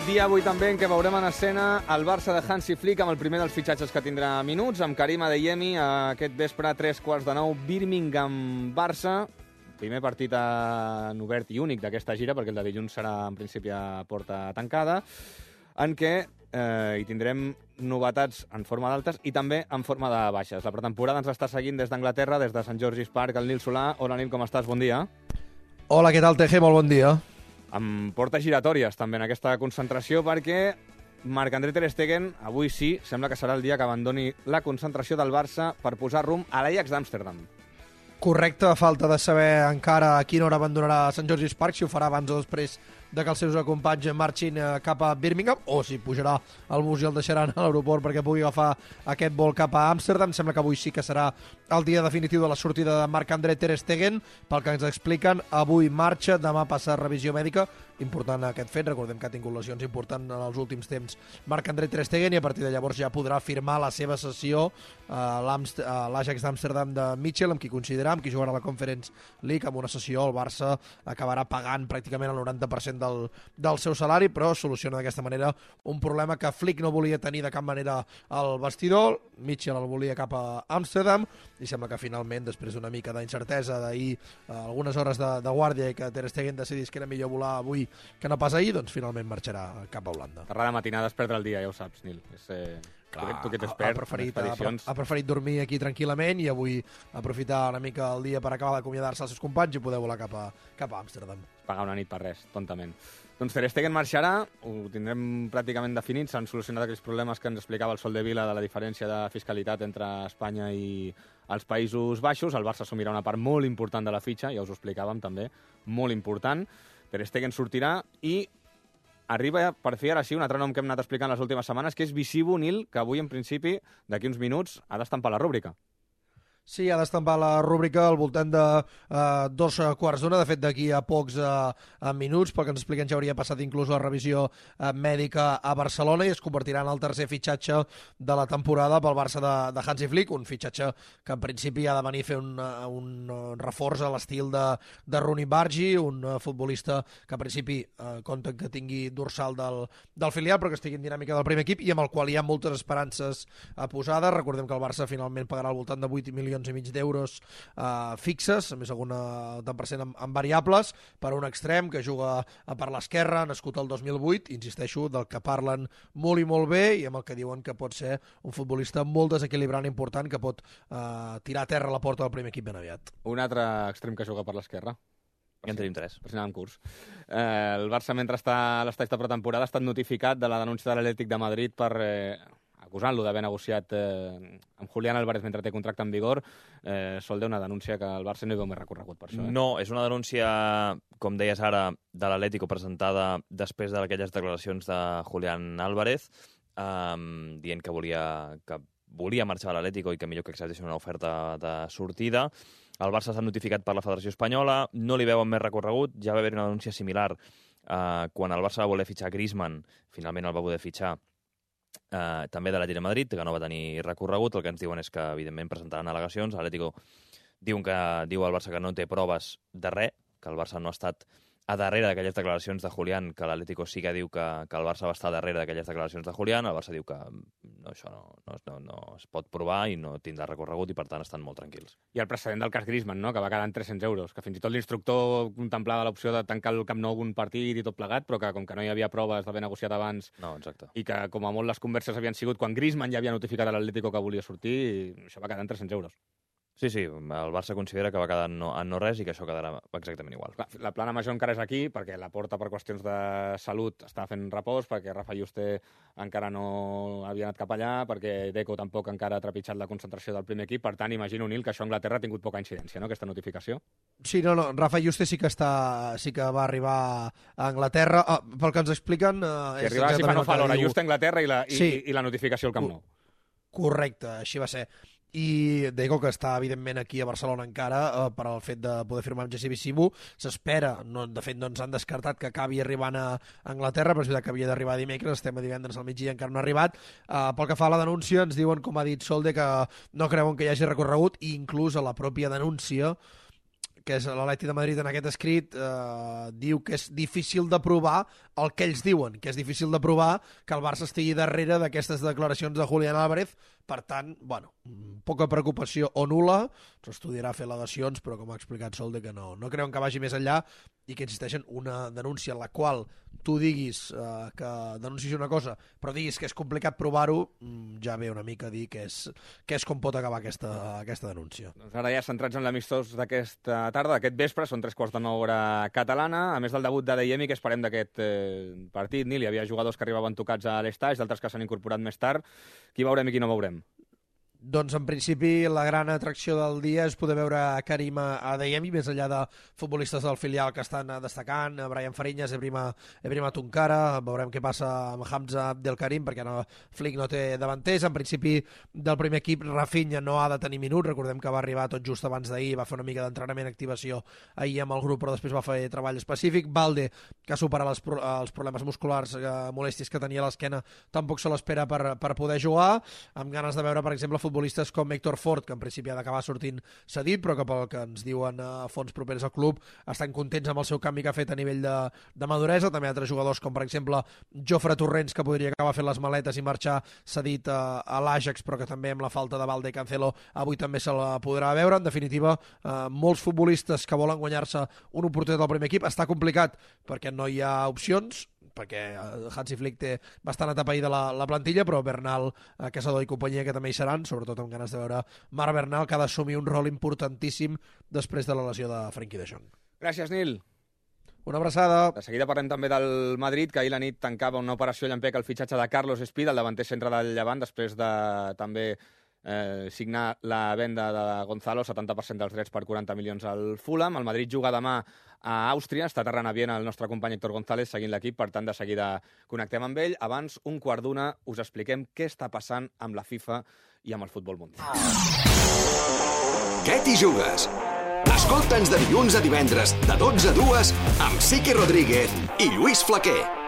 Dia avui també en què veurem en escena el Barça de Hansi Flick amb el primer dels fitxatges que tindrà minuts, amb Karim Adeyemi, aquest vespre a 3:15, Birmingham-Barça. Primer partit en obert i únic d'aquesta gira, perquè el de dilluns serà en principi a porta tancada, en què hi tindrem novetats en forma d'altes i també en forma de baixes. La pretemporada ens està seguint des d'Anglaterra, des de St. George's Park, el Nil Solà. Hola, Nil, com estàs? Bon dia. Hola, què tal, TG? Molt bon dia. Amb portes giratòries també en aquesta concentració, perquè Marc-André Ter Stegen avui sí, sembla que serà el dia que abandoni la concentració del Barça per posar rumb a l'Ajax d'Amsterdam. Correcte, a falta de saber encara a quina hora abandonarà St. George's Park, si ho farà abans o després de que els seus companys marxin cap a Birmingham, o si pujarà al bus i el deixaran a l'aeroport perquè pugui agafar aquest vol cap a Amsterdam. Sembla que avui sí que serà el dia definitiu de la sortida de Marc-André Ter Stegen. Pel que ens expliquen, avui marxa, demà passa revisió mèdica. Important aquest fet, recordem que ha tingut lesions importants en els últims temps Marc-André Ter Stegen, i a partir de llavors ja podrà firmar la seva sessió a l'Ajax d'Amsterdam de Mitchell, amb qui coincidirà, amb qui jugarà a la Conference League. Amb una sessió el Barça acabarà pagant pràcticament el 90% del seu salari, però soluciona d'aquesta manera un problema que Flick no volia tenir de cap manera al vestidor. Mitchell el volia cap a Amsterdam i sembla que finalment, després d'una mica d'incertesa d'ahir, algunes hores de guàrdia, i que Ter Stegen decidís que era millor volar avui que no pas ahir, doncs finalment marxarà cap a Holanda. Tarda de matinada és perdre el dia, ja ho saps, Nil. Clar, tu que t'expert en expedicions. Ha preferit dormir aquí tranquil·lament i avui aprofitar una mica el dia per acabar d'acomiadar-se als seus companys i poder volar cap a Amsterdam. Pagar una nit per res, tontament. Doncs Ter Stegen marxarà, ho tindrem pràcticament definit, s'han solucionat aquells problemes que ens explicava el Sol de Vila de la diferència de fiscalitat entre Espanya i els Països Baixos. El Barça assumirà una part molt important de la fitxa, ja us ho explicàvem també, molt important. Ter Stegen sortirà i arriba per fi ara sí un altre nom que hem anat explicant les últimes setmanes, que és Visivo, Nil, que avui en principi, d'aquí uns minuts, ha d'estampar la rúbrica. Sí, ha d'estampar la rúbrica al voltant de 2:15. De fet, d'aquí a pocs minuts, pel que ens expliquen, ja hauria passat inclús la revisió mèdica a Barcelona i es convertirà en el tercer fitxatge de la temporada pel Barça de Hansi Flick, un fitxatge que en principi ha de venir a fer un reforç a l'estil de Rooney Bargi, un futbolista que en principi compta que tingui dorsal del filial, però que estigui en dinàmica del primer equip i amb el qual hi ha moltes esperances posades. Recordem que el Barça finalment pagarà al voltant de 8,5 milions d'euros fixes, a més alguna tant per cent en variables, per un extrem que juga per l'esquerra, nascut el 2008, insisteixo, del que parlen molt i molt bé i amb el que diuen que pot ser un futbolista molt desequilibrant i important, que pot tirar a terra la porta del primer equip ben aviat. Un altre extrem que juga per l'esquerra. Ja en tenim tres. Per si anàvem curs. El Barça, mentre està a l'estat de pretemporada, ha estat notificat de la denúncia de l'Atlètic de Madrid per acusant-lo d'haver negociat amb Julián Álvarez mentre té contracte en vigor. Sol, una denúncia que el Barça no hi veu més recorregut per això. No, és una denúncia, com deies ara, de l'Atlético presentada després d'aquelles declaracions de Julián Álvarez, dient que volia marxar a l'Atlético i que millor que acceptessin una oferta de sortida. El Barça s'ha notificat per la Federació Espanyola, no li veuen més recorregut. Ja va haver una denúncia similar quan el Barça va voler fitxar Griezmann, finalment el va poder fitxar també de l'Atlètic de Madrid, que no va tenir recorregut. El que ens diuen és que, evidentment, presentaran al·legacions. L'Atlético diu al Barça que no té proves de res, que el Barça no ha estat a darrere d'aquelles declaracions de Julián, que l'Atlético sí que diu que el Barça va estar darrere d'aquelles declaracions de Julián. El Barça diu que això no es pot provar i no tindrà recorregut i, per tant, estan molt tranquils. I el precedent del cas Griezmann, no?, que va quedar en 300 euros, que fins i tot l'instructor contemplava l'opció de tancar el Camp Nou un partit i tot plegat, però que com que no hi havia proves d'haver negociat abans, no, exacte, i que com a molt les converses havien sigut quan Griezmann ja havia notificat a l'Atlético que volia sortir, això va quedar en 300 euros. Sí, el Barça considera que va quedar en no res i que això quedarà exactament igual. La plana major encara és aquí, perquè la Porta, per qüestions de salut, està fent repòs, perquè Rafa Juste encara no havia anat cap allà, perquè Deco tampoc encara ha trepitjat la concentració del primer equip. Per tant, imagino, Nil, que això a Anglaterra ha tingut poca incidència, no?, aquesta notificació. Sí, no, Rafa Juste sí que va arribar a Anglaterra. Pel que ens expliquen... Que arribava si fa no fa l'hora, Juste a Anglaterra i la notificació al Camp Nou. Correcte, així va ser. I Deco, que està evidentment aquí a Barcelona encara per al fet de poder firmar amb Jesse Visivo, s'espera, de fet no ens han descartat que acabi arribant a Anglaterra, però és veritat que havia d'arribar dimecres, estem a divendres al migdia, encara no ha arribat. Pel que fa a la denúncia, ens diuen, com ha dit Solde, que no creuen que hi hagi recorregut, i inclús a la pròpia denúncia que és l'Atleti de Madrid en aquest escrit, diu que és difícil de provar el que ells diuen, que és difícil de provar que el Barça estigui darrere d'aquestes declaracions de Julián Álvarez. Per tant, bueno, poca preocupació o nul·la, s'estudiarà fer al·legacions, però com ha explicat Solde que no creuen que vagi més enllà i que existeixen una denúncia en la qual tu diguis que denuncis una cosa, però diguis que és complicat provar-ho, ja ve una mica a dir que és com pot acabar aquesta denúncia. Doncs ara ja centrats en l'amistós d'aquesta tarda, d'aquest vespre, són 9:15 hora catalana, a més del debut de Adeyemi, que esperem d'aquest partit. Nil, hi havia jugadors que arribaven tocats a l'estaix, d'altres que s'han incorporat més tard. Qui veurem i qui no veurem? Doncs, en principi, la gran atracció del dia és poder veure Karim Adeyemi, més enllà de futbolistes del filial que estan destacant, Brian Fariñas, Ebrima Tunkara, veurem què passa amb Hamza Abdelkarim, perquè Flick no té davanters. En principi, del primer equip, Rafinha no ha de tenir minuts, recordem que va arribar tot just abans d'ahir, va fer una mica d'entrenament, activació ahir amb el grup, però després va fer treball específic. Balde, que ha superat els problemes musculars, molèsties que tenia a l'esquena, tampoc se l'espera per poder jugar, amb ganes de veure, per exemple, futbolistes com Héctor Fort, que en principi ha d'acabar sortint cedit, però que pel que ens diuen a fons propers al club estan contents amb el seu canvi que ha fet a nivell de maduresa. També altres jugadors com, per exemple, Jofre Torrents, que podria acabar fent les maletes i marxar cedit a l'Ajax, però que també amb la falta de Balde i Cancelo avui també se la podrà veure. En definitiva, molts futbolistes que volen guanyar-se una oportunitat al primer equip. Està complicat perquè no hi ha opcions, perquè Hansi Flick té bastant atapeïda la plantilla, però Bernal, Casador i companyia que també hi seran, sobretot amb ganes de veure Marc Bernal, que ha d'assumir un rol importantíssim després de la lesió de Frenkie de Jong. Gràcies, Nil. Una abraçada. De seguida parlem també del Madrid, que ahir la nit tancava una operació llampec al fitxatge de Carlos Espí, el davanter centre del Llevant, després de també signar la venda de Gonzalo, 70% dels drets per 40 milions al Fulham. El Madrid juga demà a Àustria, està aterrant a Viena el nostre company Héctor González seguint l'equip, per tant de seguida connectem amb ell. Abans, 1:15, us expliquem què està passant amb la FIFA i amb el futbol mundial. Què t'hi jugues? Escolta'ns de dilluns a divendres, de 12 a 2, amb Sique Rodríguez i Lluís Flaquer.